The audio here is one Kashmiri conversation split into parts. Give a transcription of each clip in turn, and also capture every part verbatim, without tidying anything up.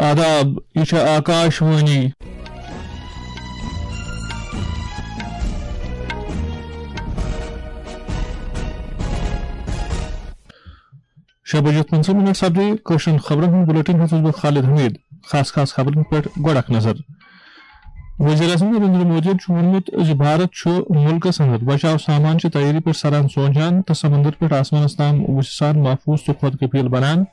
آداب، یہِ چھےٚ آکاش وانی۔ شےٚ بجے پٕنٛژٕہ منٹ سپدے کٲشرٮ۪ن خبرن ہُنٛد بُلٹن۔ ہیوٚتُس بہٕ خالد حمید۔ خاص خاص خبرن پٮ۪ٹھ گۄڈٕ اکھ نظر۔ وزیر اعظم نریندر مودیَن چھُ ووٚنمُت زِ بھارت چھُ مُلکَس اندر بچاو سامان چہِ تیٲری پٮ۪ٹھ سران سونچان تہٕ سمندر پٮ۪ٹھ آسمانَس تام وُچھِ سان محفوظ تہٕ خۄد کفیل بنان۔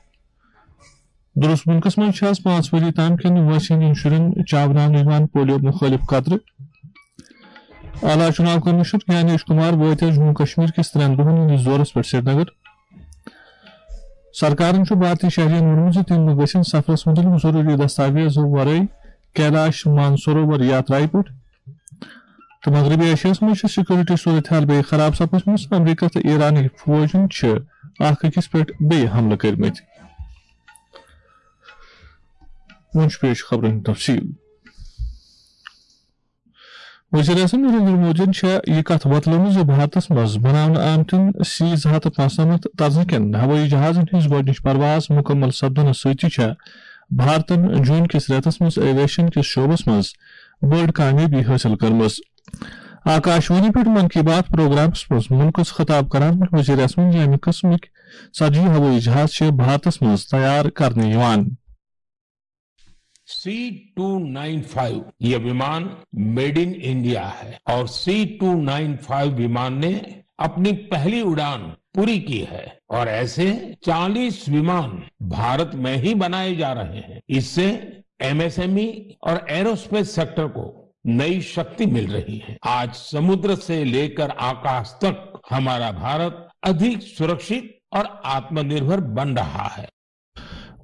درست مُلکَس منٛز چھِ آز پانٛژھ ؤری تام کٮ۪ن وٲنٛسہِ ہٕنٛدٮ۪ن شُرٮ۪ن چاوناونہٕ یِوان پولیو مُخٲلِف قطرٕ۔ اعلیٰ چُناو کمشنر گیانیش کمار وٲتۍ آز جموں کشمیر کِس ترٛٮ۪ن دۄہَن ہٕنٛدِس دورَس پٮ۪ٹھ سرینگر۔ سرکارَن چھُ بھارتی شہرین ووٚنمُت زِ تِم گژھن سفرَس مُتعلِق ضروٗری دستاویزو ورٲے کیلاش مانسروور یاترایہِ پٮ۪ٹھ۔ تہٕ مغربی ایشیاہَس منٛز چھِ سیکورٹی صورتحال بیٚیہِ خراب سپٕژمٕژ۔ امریکہ تہٕ ایرانٕکۍ فوجَن چھِ اکھ أکِس پٮ۪ٹھ بیٚیہِ حملہٕ کٔرمٕتۍ۔ وۄنۍ چھُ پیش خبرن ہُنٛد تفصیل۔ وزیر اعظم نریندر مودیَن چھےٚ یہِ کتھ وۄتلٲومٕژ زِ بھارتس منٛز بناونہٕ آمتٮ۪ن سی زٕ ہتھ تہٕ پانٛژنمتھ طرزٕ کٮ۪ن ہوٲیی جہازن ہٕنٛز گۄڈٕنِچ پرواز مُکمل سپدنس سۭتی چھےٚ بھارتن جوٗن کِس رٮ۪تس منٛز ایویشن کِس شعبس منٛز بٔڑ کامیٲبی حٲصِل کٔرمٕژ۔ آکاش وانی پٮ۪ٹھ من کی بات پروگرامس منٛز مُلکس خطاب کران ووٚن وزیر اعظمن زِ امہِ قٕسمٕکۍ ژتجی ہوٲیی جہاز چھِ بھارتس منٛز تیار کرنہٕ یِوان۔ سی ٹو نائن فائیو ये विमान मेड इन इंडिया है और सी टू नाइन फ़ाइव विमान ने अपनी पहली उड़ान पूरी की है और ऐसे चालीस विमान भारत में ही बनाए जा रहे हैं। इससे एमएसएमई और एरोस्पेस सेक्टर को नई शक्ति मिल रही है। आज समुद्र से लेकर आकाश तक हमारा भारत अधिक सुरक्षित और आत्मनिर्भर बन रहा है।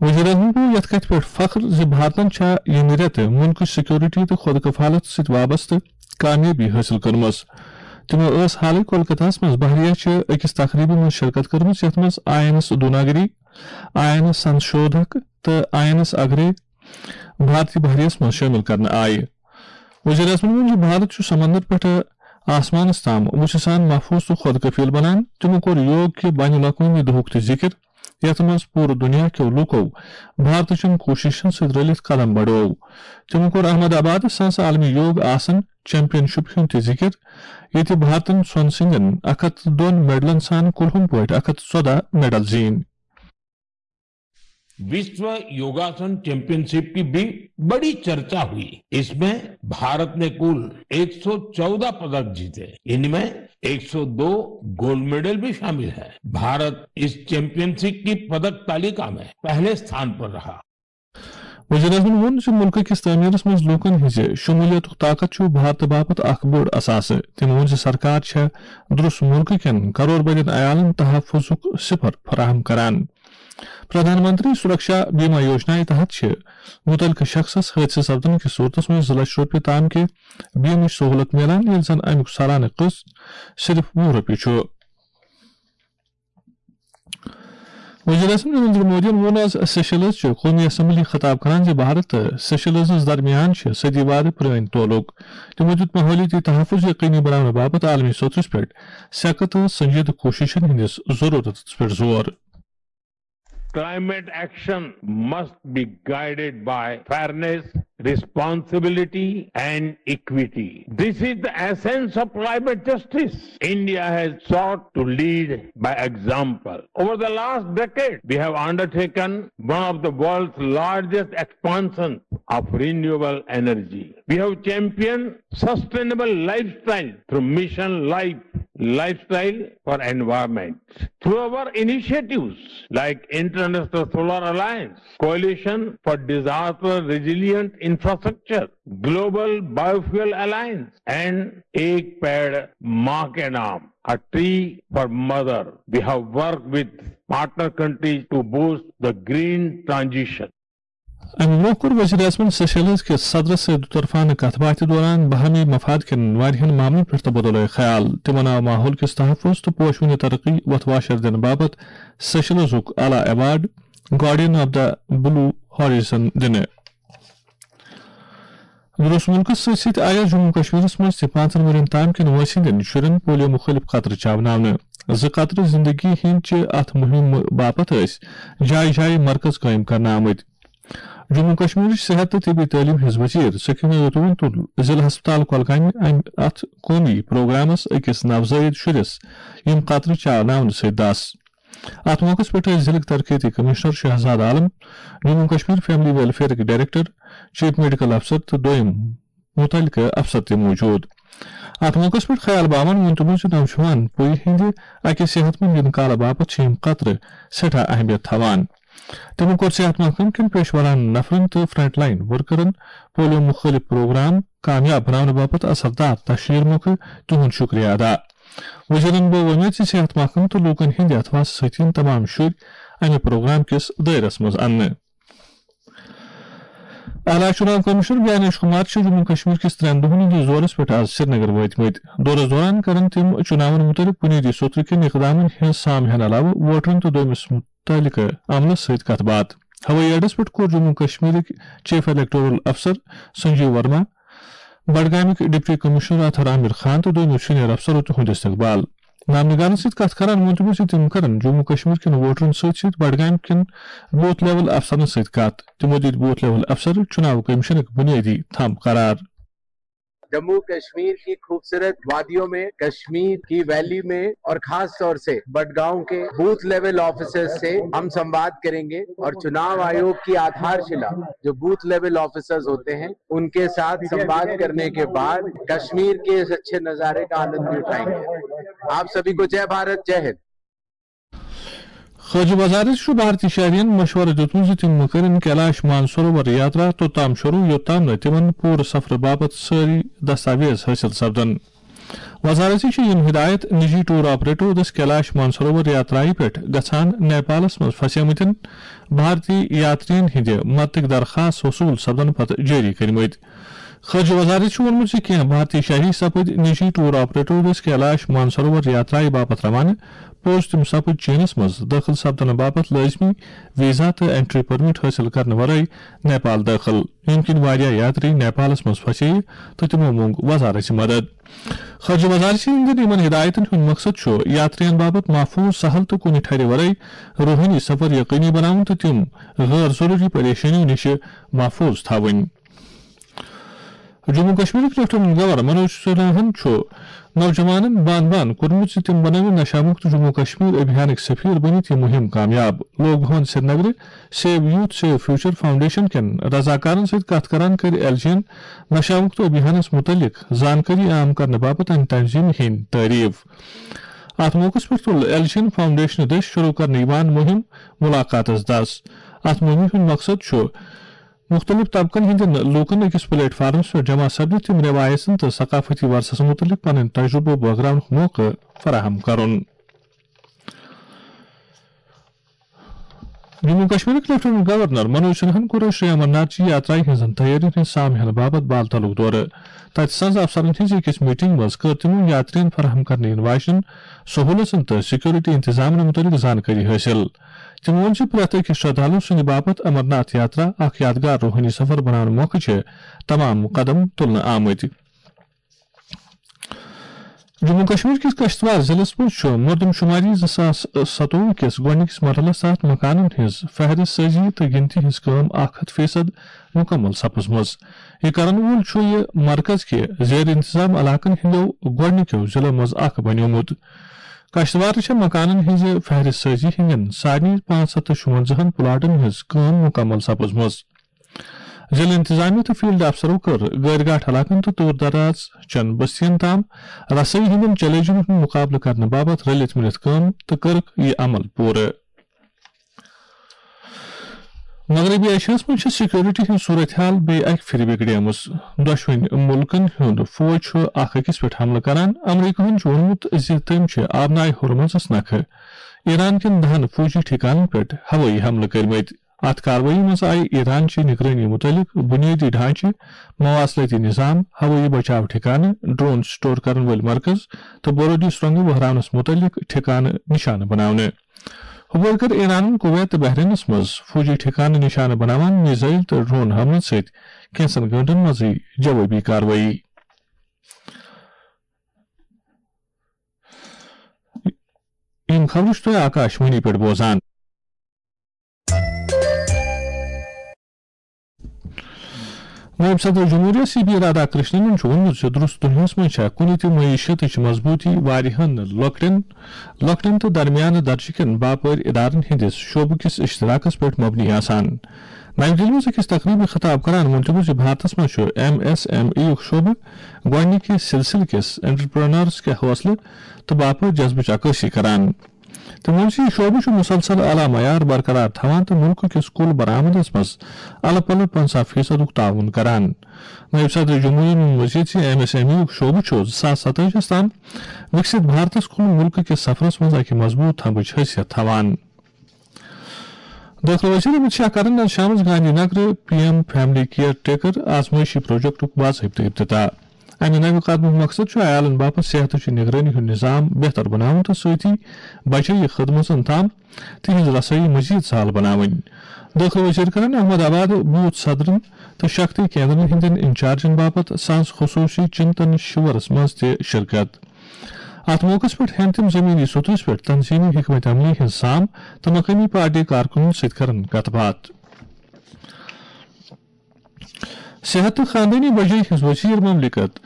وزیر اعظمن گوٚو یتھ کتھِ پٮ۪ٹھ فخر زِ بھارتن چھےٚ ییٚمہِ رٮ۪تہٕ مُلکٕچ سیکورٹی تہٕ خۄد کفالت سۭتۍ وابستہٕ کامیٲبی حٲصِل کٔرمٕژ۔ تِمو ٲس حالٕے کولکتہس منٛز بحریہ چہِ أکِس تقریبہِ منٛز شرکت کٔرمٕژ، یتھ منٛز I N S Dunagiri, I N S Sanshodhak تہٕ آئی این ایس اگرے بھارتی بحریہس منٛز شٲمِل کرنہٕ آیہِ۔ وزیر اعظمن ووٚن زِ بھارت چھُ سمندر پٮ۪ٹھٕ آسمانس تام وُژھِ سان محفوظ تہٕ خۄد کفیل بنان۔ تِمو کوٚر یوگ کہِ بین الاقوٲمی دۄہُک تہِ ذِکِر، یتھ منٛز پوٗرٕ دُنیا کیو لوٗکو بھارتٕچن کوٗششن سۭتۍ رلِتھ قدم بڑوو۔ تِمو کوٚر احمد آبادس سانسہٕ عالمی یوگ آسن چیمپین شپ ہُنٛد تہِ ذِکِر، ییٚتہِ بھارتن سۄنہٕ سٕنٛدٮ۪ن اکھ ہتھ تہٕ دۄن میڈلن سان کُلہُم پٲٹھۍ اکھ ہتھ تہٕ ژۄدہ میڈل زیٖنۍ۔ विश्व योगासन चैंपियनशिप की भी बड़ी चर्चा हुई। इसमें भारत ने कुल एक सौ चौदह पदक जीते, इनमें एक सौ दो गोल्ड मेडल भी शामिल है। भारत इस चैंपियनशिप की पदक तालिका में पहले स्थान पर रहा। وزیر اعظمن ووٚن زِ مُلکہٕ کِس تعمیٖرس منٛز لوٗکن ہٕنٛزِ شموٗلیتُک طاقت چھُ بھارتہٕ باپتھ اکھ بوٚڑ اثاثہٕ۔ تٔمۍ ووٚن زِ سرکار چھےٚ درست مُلکہٕ کٮ۪ن کرور بدٮ۪ن عیالن تحفظُک صفر فراہم کران۔ پردھان منتری سرکشا بیمہ یوجنا تحت چھِ متعلقہٕ شخصس حٲدثہٕ سپدنہٕ کِس صورتس منٛز زٕ لچھ رۄپیہِ تام کہِ بیمٕچ سہولت میلان، ییٚلہِ زن امیُک سالانہٕ قسط صرف وُہ رۄپیہِ چھُ۔ وزیر اعظم نریندر مودیَن ووٚن آز سیشلز چہِ قومی اسمبلی خطاب کران زِ بھارت تہٕ سیشلزس درمیان چھِ صدی وادٕ پرٲنۍ تعلق۔ تِمو دیُت ماحولیٲتی تحفظ یقینی بناونہٕ باپتھ عالمی سطحس پٮ۪ٹھ سیکہٕ تہٕ سنجیدٕ کوٗششن ہٕنٛدِس ضروٗرتس پٮ۪ٹھ زور۔ Climate action must be guided by fairness, responsibility, and equity. This is the essence of climate justice. India has sought to lead by example. Over the last decade, we have undertaken one of the world's largest expansions of renewable energy. We have championed sustainable lifestyle through Mission Life, Lifestyle for Environment. Through our initiatives like International Solar Alliance, Coalition for Disaster Resilient Infrastructure, Global Biofuel Alliance, and Ek Ped Maa Ke Naam, a tree for mother, we have worked with partner countries to boost the green transition. امہِ برٛونٛہہ کوٚر وزیر اعظمن سیشلز کِس صدرس سۭتۍ دُطرفانہٕ کتھ باتھِ دوران باہمی مفاد کٮ۪ن واریاہن معاملن پٮ۪ٹھ تبادلہ خیال۔ تِمن آو ماحول کِس تحفظ تہٕ پوشوٕنہِ ترقی وتھ واشر دِنہٕ باپتھ سیشلزُک اعلیٰ award guardian of the blue horizon دِنہٕ۔ درست مُلکس سۭتۍ سۭتۍ آیہِ جموں کشمیرس منٛز تہِ پانٛژن ؤرین تام کٮ۪ن وٲنٛسہِ ہٕنٛدٮ۪ن شُرٮ۪ن پولیو مُخٲلِف قطرٕ چاوناونہٕ۔ زٕ قطرٕ زندگی ہٕنٛدۍ چہِ اتھ مُہِمہِ باپتھ ٲسۍ جایہِ جایہِ مرکز قٲیِم کرنہٕ آمٕتۍ۔ جموں کشمیرٕچ صحت تہٕ طبی تعلیٖم ہٕنٛز وزیر سکینہ رتوٗن تُل ضلع ہسپتال کۄلگامہِ امہِ اتھ قومی پروگرامس أکِس نوزٲیِد شُرِس یِم قطرٕ چاوناونہٕ سۭتۍ دس۔ اتھ موقعس پٮ۪ٹھ ٲسۍ ضلعٕکۍ ترقیتی کمشنر شہزاد عالم، جموں کشمیر فیملی ویلفیئرٕکۍ ڈائریکٹر، چیف میڈیکل افسر تہٕ دوٚیم متعلقہٕ افسر تہِ موجود۔ اتھ موقعس پٮ۪ٹھ خیال باوان ووٚن تِمو زِ نوجوان پُیہِ ہٕنٛدِ اکہِ صحت مند انقلابہٕ باپتھ چھِ یِم قطرٕ سٮ۪ٹھاہ اہمیت تھاوان۔ تِمو کوٚر صحت محکمہٕ کٮ۪ن پیشورانہٕ نفرن تہٕ فرنٹ لائن ورکرن پولیو مُخٲلف پروگرام کامیاب بناونہٕ باپتھ اثردار تشہیر مۄکھٕ تِہُنٛد شُکریہ ادا۔ وزیرن بوو وۄمید زِ صحت محکمہٕ تہٕ لوٗکن ہٕنٛدِ اتھواسہٕ سۭتۍ یِن تمام شُرۍ امہِ پروگرام کِس دٲیرس منٛز اننہٕ۔ اعلیٰ چُناو کمشنر گیانیش کمار چھُ جموں کشمیر کِس ترٛٮ۪ن دۄہَن ہٕنٛدِس دورَس پٮ۪ٹھ آز سرینگر وٲتمٕتۍ۔ دورَس دوران کرن تِم چُناون مُتعلِق بُنیٲدی سوٚترٕ کٮ۪ن اِقدامَن ہٕنٛز سام ہٮ۪نہٕ علاوٕ ووٹرَن تہٕ دوٚیمِس مُتعلقہٕ عملَس سۭتۍ کَتھ باتھ۔ ہوٲیی اڈَس پٮ۪ٹھ کوٚر جموں کشمیرٕکۍ چیف الیکٹورل افسر سنجیو ورما، بڈگامٕکۍ ڈپٹی کمشنر اطہر عامر خان تہٕ دوٚیمو سینئر افسرو تِہُنٛد استقبال۔ نامنگارن سۭتۍ کتھ کران ووٚن تِمو زِ تِم کرن جموں کشمیر کٮ۪ن ووٹرن سۭتۍ سۭتۍ بڈگام کٮ۪ن بوتھ لیول افسرن سۭتۍ کتھ۔ تِمو دِتۍ بوتھ لیول افسر چُناو کمیشنٕکۍ بُنیٲدی تھم قرار۔ جموں کشمیر کی خوبصورت وادیوں میں، کشمیر کی ویلی میں اور خاص طور سے بڈگاؤں کے بوتھ لیول آفیسرز سے ہم سنواد کریں گے اور چناو آیوگ کی آدھارشیلا جو بوتھ لیول آفیسرز ہوتے ہیں ان کے ساتھ سنواد کرنے کے بعد کشمیر کے اس اچھے نظارے کا آنند بھی اٹھائیں گے۔ آپ سبھی کو جے بھارت، جے ہند۔ خارجہ وزارت چھُ بھارتی شہرین مشورٕ دیُتمُت زِ تِم مہٕ کٔرِن کیلاش مانسروور یاترا توٚتام شروع یوٚتام نہٕ تِمن پوٗرٕ سفرٕ باپتھ سٲری دستاویز حٲصِل سپدن۔ وزارت چھِ یِم ہدایت نجی ٹور آپریٹرو دٔسۍ کیلاش مانسروور یاترایہِ پٮ۪ٹھ گژھان نیپالس منٛز پھسیمٕتٮ۪ن بھارتی یاترین ہٕنٛدِ مدتٕکۍ درخاست وصوٗل سپدن پتہٕ جٲری کٔرمٕتۍ۔ خارجہ وزارت چھُ ووٚنمُت زِ کینٛہہ بھارتی شہری سپٕدۍ نجی ٹور آپریٹرو دٔسۍ کیلاش مانسروور یاترایہِ باپتھ روانہٕ، پوٚز تِم سپٕدۍ چینس منٛز دٲخل سپدنہٕ باپتھ لٲزمی ویزا تہٕ انٹری پرمٹ حٲصِل کرنہٕ ورٲے نیپال دٲخل، ییٚمہِ کِنۍ واریاہ یاتری نیپالس منٛز پھسے تہٕ تِمو موٚنگ وزارت مدد۔ خارجہ وزارت سٕنٛدٮ۪ن یِمن ہدایتن ہُنٛد مقصد چھُ یاترین باپتھ محفوظ، سہل تہٕ کُنہِ ٹھرِ ورٲے روحٲنی سفر یقینی بناوُن تہٕ تِم غٲر ضروٗری پریشٲنیو نِش محفوظ تھاوٕنۍ۔ جموں کشمیرٕکۍ لیفٹیننٹ گورنر منوج سنہاہن چھُ نوجوانن بان بان کوٚرمُت زِ تِم بنٲوِن نشہ مکت جموں کشمیر ابھیانٕکۍ سفیر بٔنِتھ یہِ مُہِم کامیاب۔ لوک بھون سرینگرٕ save youth save future foundation کٮ۪ن رضاکارن سۭتۍ کتھ کران کٔرۍ ایل جی ین نشہ مکت ابھیانس مُتعلق زانکٲری عام کرنہٕ باپتھ امہِ تنظیمہِ ہٕنٛدۍ تعریف۔ اتھ موقعس پٮ۪ٹھ تُل ایل جی ین فاؤنڈیشنہٕ دٔسۍ شروع کرنہٕ یِوان مُہِم ملاقاتس دس۔ اتھ مُہِمہِ ہُنٛد مقصد چھُ مُختٔلِف طبقن ہٕنٛدٮ۪ن لوٗکن أکِس پلیٹ فارمس پٮ۪ٹھ جمع سپدِتھ تِم رٮ۪وایژن تہٕ ثقافتی ورثس مُتعلق پنٕنۍ تجرُبہٕ بٲگراونُک موقعہٕ فراہم کرُن۔ جموں کشمیرٕکۍ لیفٹیننٹ گورنر منوج سنہاہن کوٚر شری امرناتھ جی یاترایہِ ہٕنٛزن تیٲرین ہٕنٛز سام ہینہٕ باپتھ بال تلُک دورٕ۔ تتہِ سنز افسرن ہٕنٛزِ أکِس میٹنگ منٛز کٔر تِمو یاترین فراہم کرنہٕ یِنہٕ واجنٮ۪ن سہوٗلژن تہٕ سیکورٹی انتظامن مُتعلق زانکٲری حٲصِل۔ تِمو ووٚن زِ پرٛٮ۪تھ أکِس شردھالو سٕنٛدِ باپتھ امرناتھ یاترا اکھ یادگار روحٲنی سفر بناونہٕ مۄکھٕ چھِ تمام قدم تُلنہٕ آمٕتۍ۔ جموں کشمیر کِس کشتوار ضلعس منٛز چھُ مردم شماری زٕ ساس ستووُہ کِس گۄڈٕنِکِس مرحلس تحت مکانن ہٕنٛز فہرست سٲزی تہٕ گِنتی ہٕنٛز کٲم اکھ ہتھ فیصد مکمل سپٕزمٕژ۔ یہِ کرن وول چھُ یہِ مرکز کہِ زیر انتظام علاقن ہٕنٛدیو گۄڈٕنِکیو ضلعو منٛز اکھ بنیومُت۔ کشتوارٕ چھےٚ مکانن ہٕنٛزِ فہرست سٲزی ہٕنٛدٮ۪ن سارنٕے پانٛژھ ہتھ تہٕ شُونٛزاہن پلاٹن ہٕنٛز کٲم مکمل سپٕزمٕژ۔ ضلع انتظامیہ تہٕ فیلڈ افسرو کٔر گٲرۍ گاٹھ علاقن تہٕ دوٗر دراز چٮ۪ن بستین تام رسٲیی ہٕنٛدٮ۪ن چیلنجن ہُنٛد مُقابلہٕ کرنہٕ باپتھ رلِتھ مِلِتھ کٲم تہٕ کٔرٕکھ یہِ عمل پوٗرٕ۔ مغربی ایشیاہس منٛز چھِ سیکورٹی ہٕنٛز صورت حال بیٚیہِ اکہِ پھِرِ بگڑیمٕژ۔ دۄشوٕنۍ مُلکن ہُنٛد فوج چھُ اکھ أکِس پٮ۪ٹھ حملہٕ کران۔ امریکہن چھُ ووٚنمُت زِ تٔمۍ چھِ آبنائے ہرمزس نکھٕ ایران کٮ۪ن دہن فوجی ٹھِکانن پٮ۪ٹھ ہوٲیی حملہٕ کٔرمٕتۍ۔ اتھ کاروٲیی منٛز آیہِ ایران چہِ نگرٲنی مُتعلق بُنیٲدی ڈھانچہٕ، مواصلٲتی نظام، ہوٲیی بچاو ٹھِکانہٕ، ڈرون سٹور کرن وٲلۍ مرکز تہٕ بورودی سرنگہٕ وہراونس مُتعلق ٹھِکانہٕ نشانہٕ بناونہٕ۔ ہُپٲرۍ کٔر ایرانن کویت تہٕ بحرینس منٛز فوجی ٹھِکانہٕ نشانہٕ بناوان میزائل تہٕ ڈرون حملن سۭتۍ کینٛژن گٲنٛٹن منٛزٕے جوٲبی کاروٲیی۔ یِم خبرٕ چھِو تُہۍ آکاش وانی پٮ۪ٹھ بوزان۔ نٲیِب صدر جمہوریہ سی پی رادھا کرشنن چھُ ووٚنمُت زِ درست دُنیاہَس منٛز چھےٚ کُنہِ تہِ معیشتٕچ مضبوٗطی واریاہَن لۄکٹٮ۪ن، لۄکٹٮ۪ن تہٕ درمیانہٕ درجہٕ کٮ۪ن باپٲرۍ ادارن ہٕنٛدِس شعبہٕ کِس اشتراکس پٮ۪ٹھ مبنی آسان۔ نَوِ دِلہِ منٛز أکِس تقریٖبہِ خطاب کران ووٚن تِمو زِ بھارتس منٛز چھُ ایم ایس ایم ای یُک شعبہٕ گۄڈٕنِکہِ سلسلہٕ کِس انٹرپرینرز کہِ حوصلہٕ تہٕ باپٲرۍ جذبٕچ عکٲسی کران۔ تٔمۍ ووٚن زِ یہِ شعبہٕ چھُ مسلسل اعلیٰ معیار برقرار تھاوان تہٕ مُلکہٕ کِس کُل برآمدس منٛز الہٕ پلہٕ پنٛژاہ فیصدُک تعاون کران۔ نٲیِب صدر جمہوریہ ووٚن مزید زِ ایم ایس ایم ای یُک شعبہٕ چھُ زٕ ساس ستٲجی تام وِکسِت بھارتس کُن مُلکہٕ کِس سفرس منٛز اکہِ مضبوٗط تھمبٕچ حیثیت تھاوان۔ دٲخلہٕ وزیر امیت شاہ کرن آز شامس Gandhi Nagar P M family care taker پروجیکٹُک باضٲبطہٕ افتتاح۔ امہِ نوِ قدمُک مقصد چھُ عیالن باپتھ صحتٕچ نگرٲنی ہُنٛد نظام بہتر بناوُن تہٕ سۭتی بچٲیی خدمژن تام تِہنٛز رسٲیی مزید سہل بناوٕنۍ۔ دٲخلہٕ وزیر کرن احمد آباد بوتھ صدرن تہٕ شکتی کیندرن ہٕنٛدٮ۪ن انچارجن باپتھ سنز خصوصی چنتن شِورس منٛز تہِ شرکت۔ اتھ موقعس پٮ۪ٹھ ہٮ۪ن تِم زمینی سطحس پٮ۪ٹھ تنظیمی حکمت عملی ہٕنٛز سام تہٕ مقٲمی پارٹی کارکنن سۭتۍ کرن کتھ باتھ۔ صحت تہٕ خاندٲنی بجٲیی ہٕنٛز وزیر مملکت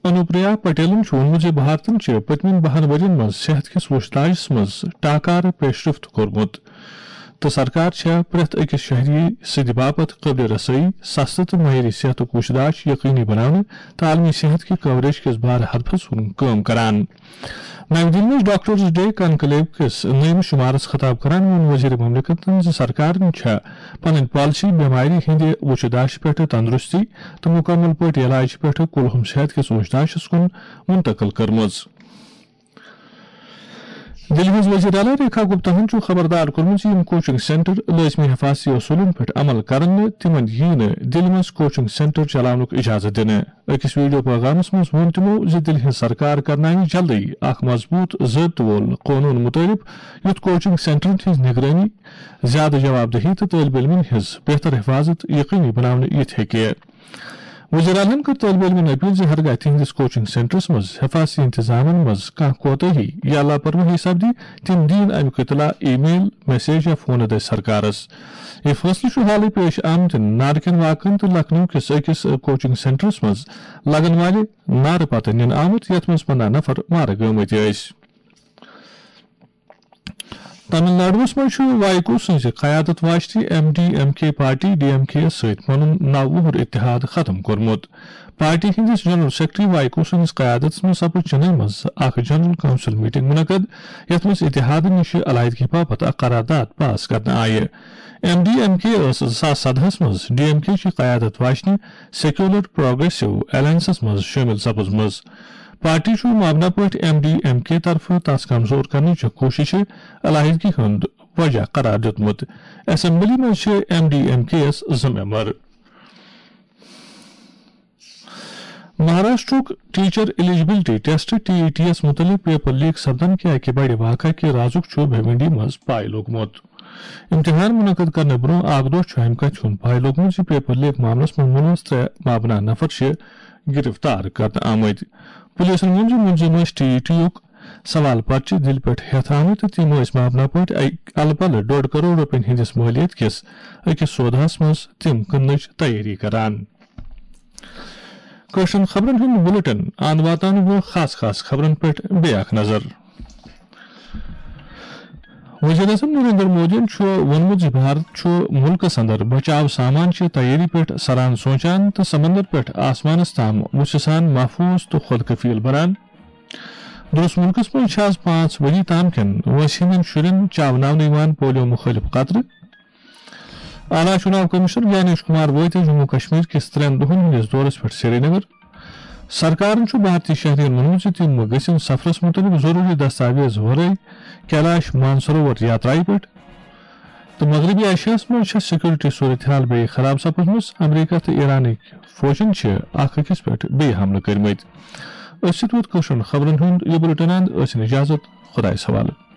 انوپریا پٹیلن چھُ ووٚنمُت زِ بھارتن چھِ پٔتمٮ۪ن بَہَن ؤرین منٛز صحت کِس وُچھتاجس منٛز ٹاکارٕ پیشرفت کوٚرمُت تہٕ سرکار چھےٚ پرٛٮ۪تھ أکِس شہری سٕنٛدِ باپتھ قٲبلِ رسٲیی، سستہٕ تہٕ معیٲری صحتُک وُچھتاج یقینی بناونہٕ تہٕ عالمی صحت کہِ کوریج کِس بارٕ ہدفس کُن کٲم کران۔ نَوِ دِلہِ منٛز ڈاکٹرز ڈے کنکلیو کِس نٔیمِس شُمارس خطاب کران ووٚن وزیر مملکتن زِ سرکارن چھےٚ پنٕنۍ پالیسی بٮ۪مارِ ہٕنٛدِ وُچھتاجہِ پٮ۪ٹھ تندرستی تہٕ مکمل پٲٹھۍ علاج پٮ۪ٹھ کُلہُم صحت کِس وُچھتاجس کُن منتقل کٔرمٕژ۔ دِلہِ ہٕنٛز وزیر اعلیٰ ریکھا گپتاہن چھُ خبردار کوٚرمُت زِ یِم کوچنگ سینٹر لٲزمی حفاظتی اصوٗلن پٮ۪ٹھ عمل کرن نہٕ، تِمن یِیہِ نہٕ دِلہِ منٛز کوچنگ سینٹر چلاونُک اجازت دِنہٕ۔ أکِس ویڈیو پیغامس منٛز ووٚن تِمو زِ دِلہِ ہٕنٛز سرکار کرناوِ جلدٕے اکھ مضبوٗط ضٲبطہٕ وول قونوٗن مُطٲبِق، یُتھ کوچنگ سینٹرن ہٕنٛز نگرٲنی، زیادٕ جواب دہی تہٕ طٲلب علمن ہٕنٛز بہتر حفاظت یقینی بناونہٕ یِتھ ہیٚکہِ۔ وزیر اعلیٰ ہن کٔر طٲلب علمن اپیل زِ ہرگاہ تِہنٛدِس کوچنگ سینٹرس منٛز حفاظتی انتظامن منٛز کانٛہہ کوتاہی یا لاپرواہی سپدِ، تِم دِیِن امیُک اطلاع ای میل، میسیج یا فونہٕ دٔسۍ سرکارس۔ یہِ فٲصلہٕ چھُ حالٕے پیش آمتٮ۪ن نارکین واقعن تہٕ لکھنؤ کِس أکِس کوچنگ سینٹرس منٛز لگن والہِ نارٕ پتہٕ نِنہٕ آمُت، یتھ منٛز پنٛداہ نفر مارٕ گٲمٕتۍ ٲسۍ۔ تامل ناڈوَس منٛز چھُ وائیکو سٕنٛزِ قیادت واجنہِ ایم ڈی ایم کے پارٹی، ڈی ایم کے یَس سۭتۍ پنُن نَو وُہُر اتحاد ختم کوٚرمُت۔ پارٹی ہٕنٛدِس جنرل سیکرٹری وائیکو سٕنٛدِس قیادتس منٛز سپٕز چنئی منٛز اکھ جنرل کونسل میٹنگ منعقد، یتھ منٛز اتحادٕ نِش علیحدگی باپتھ اکھ قرارداد پاس کرنہٕ آیہِ۔ ایم ڈی ایم کے ٲس زٕ ساس سدہَس منٛز ڈی ایم کے چہِ قیادت واجنہِ سیکولر پروگریسو الائنسس منٛز شٲمِل سپٕزمٕژ۔ پارٹی چھُ مبنی پٲٹھۍ ایم ڈی ایم کے طرفہٕ تس کمزور کرنٕچ کوٗششہِ علیحدگی ہُنٛد وجہ قرار دیُتمُت۔ اسمبلی منٛز چھِ ایم ڈی ایم کے یَس زٕ ممبر۔ مہاراشٹرُک teacher eligibility test, T E T یَس مُتعلِق پیپر لیک سپدن کہِ اَکہِ بڑِ واقعہٕ کہِ رازُک چھُ بھیونڈی منٛز پاے لوٚگمُت۔ امتحان منعقد کرنہٕ برٛونٛہہ اکھ دۄہ چھُ امہِ کتھِ ہُنٛد پاے لوٚگمُت زِ پیپر لیک معاملس منٛز مُلوث ترٛےٚ مابنا نفر چھِ گرفتار کرنہٕ آمٕتۍ۔ پُلیٖسن ووٚن زِ مُلزِم ٲسۍ ٹی ای ٹی یُک سوال پرچہِ دِلہِ پٮ۪ٹھ ہٮ۪تھ آمٕتۍ تہٕ تِم ٲسۍ مابنا پٲٹھۍ اَکہِ الہٕ پلہٕ ڈۄڈ کرور رۄپین ہٕنٛدِس مٲلیت کِس أکِس سوداہس منٛز تِم کٕننٕچ تیٲری کران۔ کٲشرٮ۪ن خبرن ہُنٛد بُلٹن اَن واتنہٕ برٛونٛہہ خاص خاص خبرن پٮ۪ٹھ بیٚیہِ اکھ نظر۔ وزیر اعظم نریندر مودیَن چھُ ووٚنمُت زِ بھارت چھُ مُلکَس اندر بچاو سامان چہِ تیٲری پٮ۪ٹھ سران سونچان تہٕ سمندر پٮ۪ٹھ آسمانَس تام وُژھِ سان محفوظ تہٕ خود کفیل بنان۔ درست مُلکَس منٛز چھِ آز پانٛژھ ؤری تام کٮ۪ن وٲنٛسہِ ہٕنٛدٮ۪ن شُرٮ۪ن چاوناونہٕ یِوان پولیو مُخٲلِف قطرٕ۔ اعلیٰ چُناو کمشنر گیانیش کمار وٲتۍ جموں کشمیر کِس ترٛٮ۪ن دۄہَن ہٕنٛدِس دورَس پٮ۪ٹھ سرینگر۔ سرکارن چھُ بھارتی شہرین ووٚنمُت زِ تِم گٔژھِن سفرس مُتعلِق ضروٗری دستاویز ورٲے کیلاش مانسروور یاترایہِ پٮ۪ٹھ۔ تہٕ مغربی ایشیاہَس منٛز چھےٚ سیکورٹی صورتحال بیٚیہِ خراب سپٕزمٕژ۔ امریکہ تہٕ ایرانٕکۍ فوجن چھِ اکھ أکِس پٮ۪ٹھ بیٚیہِ حملہٕ کٔرمٕتۍ۔ أتھۍ سۭتۍ ووت کٲشرٮ۪ن خبرن ہُنٛد یہِ بُلٹن اند۔ ٲسِن اجازت، خۄدایَس حوالہٕ۔